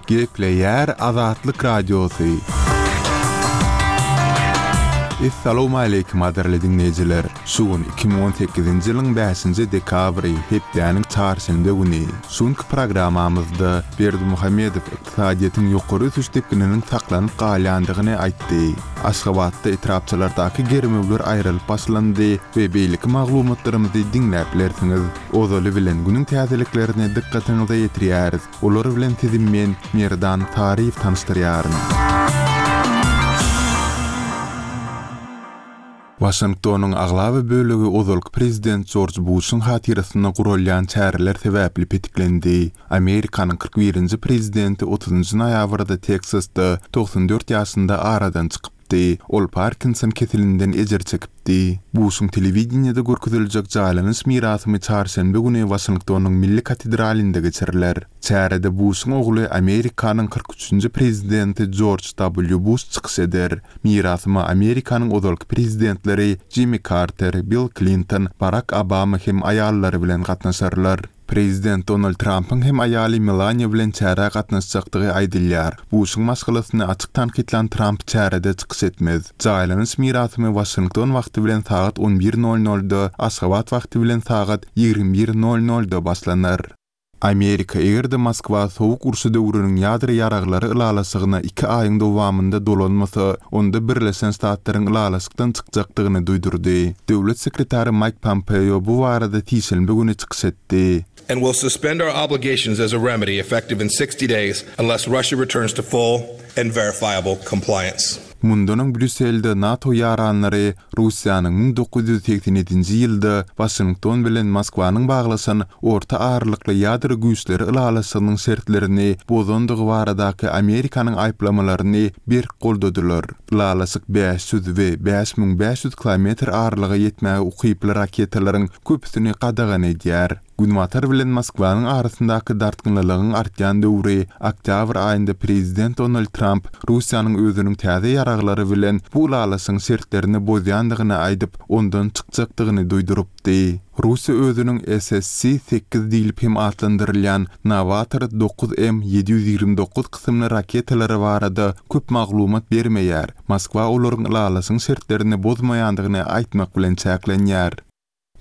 Gepleýär Azatlyk Radiosy. Essalawmaleýkim gadyrly diňleýjiler! Şu gün 2018-nji ýylyň bäşinji dekabry, hepdäniň çarşenbe güni. Şu günki programmamyzda Berdimuhamedow ykdysadyýetiň ýokary ösüş depgininiň saklanyp galýandygyny aýtdy. Aşgabatda etrapçalardaky germewler aýrylyp başlandy we beýleki maglumatlarymyzy diňläp bilersiňiz. Ozaly bilen günüň täzeliklerini dykgatyňyza ýetirýäris. Olar bilen sizi men, Merdan Saryýew tanyşdyrýaryn. Waşingtonyň aglaba bölegi ozalky prezident Jorj Buşuň hatyrasyna guralýan çäreler sebäpli petiklendi. Amerikanyň 41-nji prezidenti otuzynjy noýabrda Teksasda 94 ýaşynda aradan çykypdy. Ol Parkinson keselinden ejir çekipdi. Buşuň telewideniýede görkeziljek jaýlanyş mirasymy çarşenbe güni Waşingtonyň Milli katedralynda geçiriler. Çärede Buşuň ogly Amerikanyň 43-nji prezidenti Jorj W. Buş çykyş eder. Mirasyma Amerikanyň ozalky prezidentleri Jimmi Karter, Bill Klinton, Barak Obama hem aýallary bilen gatnaşarlar. Prezident Donald Trampyň hem aýaly Melaniýa bilen çärä gatnaşjakdygy aýdylýar. Buşuň maşgalasyny açyk tankytlan Tramp çärede çykyş etmez. Jaýlanyş mirasymy Waşington wagty bilen sagat on bir nol nolda, Aşgabat wagty bilen sagat 21 nol nolda başlanar. Amerika eger-de Moskwa Sowuk urşy döwrüniň ýadro ýaraglary ylalaşygyna iki aýyň dowamynda dolanmasa, onda Birleşen Ştatlaryň ylalaşykdan çykjakdygyny duýdurdy. Döwlet sekretary Maýk Pompeo bu barada sişenbe güni çykyş etdi. And will suspend our obligations as a remedy effective in 60 days unless Russia returns to full and verifiable compliance. Mundan öň Brýusselde NATO ýaranlary Russiýanyň 1987-nji ýylda Waşington bilen Moskwanyň baglaşan orta aralykly ýadro güýçleri ylalaşygynyň şertlerini bozandygy baradaky Amerikanyň aýyplamalaryny berk goldadylar. Ylalaşyk 500 we 5500 kilometr aralyga ýetmäge ukyply raketalaryň köpüsini gadagan edýär. Günbatar bilen Moskwanyň arasyndaky dartgynlylygyň artýan döwri, oktýabr aýynda prezident Donald Tramp Russiýanyň özüniň täze ýaraglary bilen bu ylalaşygyň şertlerini bozýandygyny aýdyp, ondan çykjakdygyny duýdurypdy. Russiýa özüniň SSC sekiz diýlip hem atlandyrylýan Nowator dokuz M 729 kysymly raketalary barada köp maglumat bermeýär, Moskwa olaryň ylalaşygyň şertlerini bozmaýandygyny aýtmak bilen çäklenýär.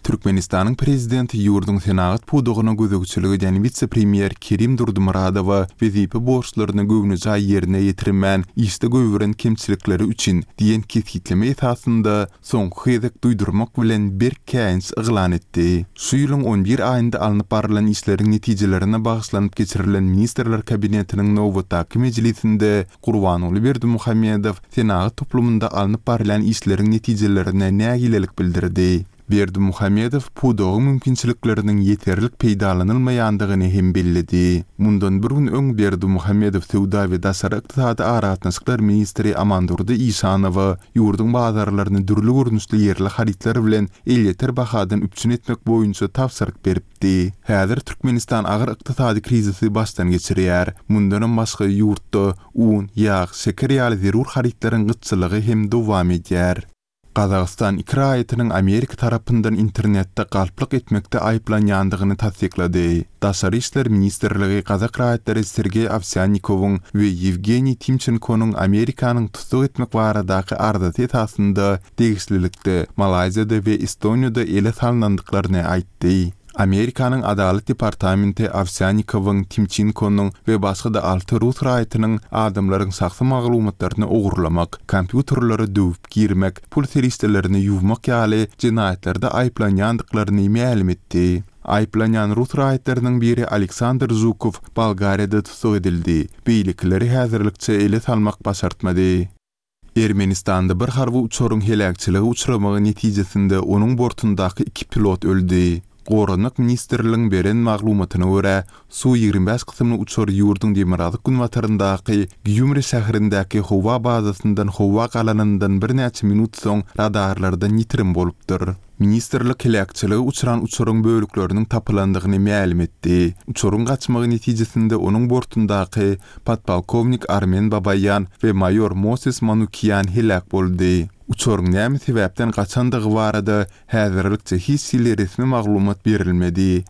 Türkmenistanyň Prezidenti ýurduň senagat pudagyna gözegçilik edýän wise-premýer Kerim Durdymyradowa wezipe borçlaryny göwnejaý ýerine ýetirmän, işde goýberen kemçilikleri üçin diýen kesgitleme esasynda soňky gezek duýdurmak bilen berk käýinç yglan etdi. Şu ýylyň on bir aýynda alnyp barylan işleriň netijelerine bagyşlanyp geçirilen Ministrler Kabinetiniň nobatdaky mejlisinde Gurbanguly Berdimuhamedow senagat toplumynda alnyp barylýan işleriň netijelerine nägilelik bildirdi. Berdimuhamedow pudagyň mümkinçilikleriniň ýeterlik peýdalanylmaýandygyny hem belledi. Mundan bir gün öň Berdimuhamedow söwda we daşary ykdysady aragatnaşyklar ministri Amandurdy Işanowa ýurduň bazarlaryny dürli görnüşli ýerli harytlar bilen elýeter bahadan üpjün etmek boýunça tabşyryk beripdi. Häzir Türkmenistan agyr ykdysady krizisi başdan geçirýär. Mundanam başga ýurtda un, ýag, şeker ýaly zerur harytlaryň gytçylygy hem dowam edýär. Gazagystan iki raýatynyň Amerika tarapyndan internetde galplyk etmekde aýyplanýandygyny tassyklady. Daşary işler ministrligi gazak raýatlary Sergeý Owsýannikowyň we Ýewgeniý Timçenkonyň Amerikanyň tussag etmek baradaky arzasy esasynda degişlilikde Malaýziýada we Estoniýada ele salnandyklaryny aýtdy. Amerikanyň Adalat departamenti Owsýannikowyň, Timçenkonyň we başga-da alty rus raýatynyň adamlaryň şahsy maglumatlaryny ogurlamak, kompýuterlere döwüp girmek, pul serişdelerini ýuwmak ýaly jenaýatlarda aýyplanýandyklaryny mälim etdi. Aýyplanýan rus raýatlarynyň biri Aleksandr Žukow Bolgariýada tussag edildi, beýlekileri häzirlikçe ele salmak başartmady. Ermenistanda bir harby uçaryň heläkçilige uçramagy netijesinde onuň bortundaky iki pilot öldi. Goranmak ministrligiň beren maglumatyna görä, Su 25 kysymly uçar ýurduň demirgazyk-günbataryndaky Gýumri şäherindäki howa bazasyndan howa galanyndan birnäçe minut soň radarlardan ýitirim bolupdyr. Ministrlik heläkçilige uçran uçaryň bölekleriniň tapylandygyny mälim etdi. Uçaryň gaçmagy netijesinde onuň bortundaky podpolkownik Armen Babaýan we maýor Moses Manukian heläk boldy. Uçaryň näme sebäpden gaçandygy barada häzirlikçe hiç hili resmi maglumat berilmedi.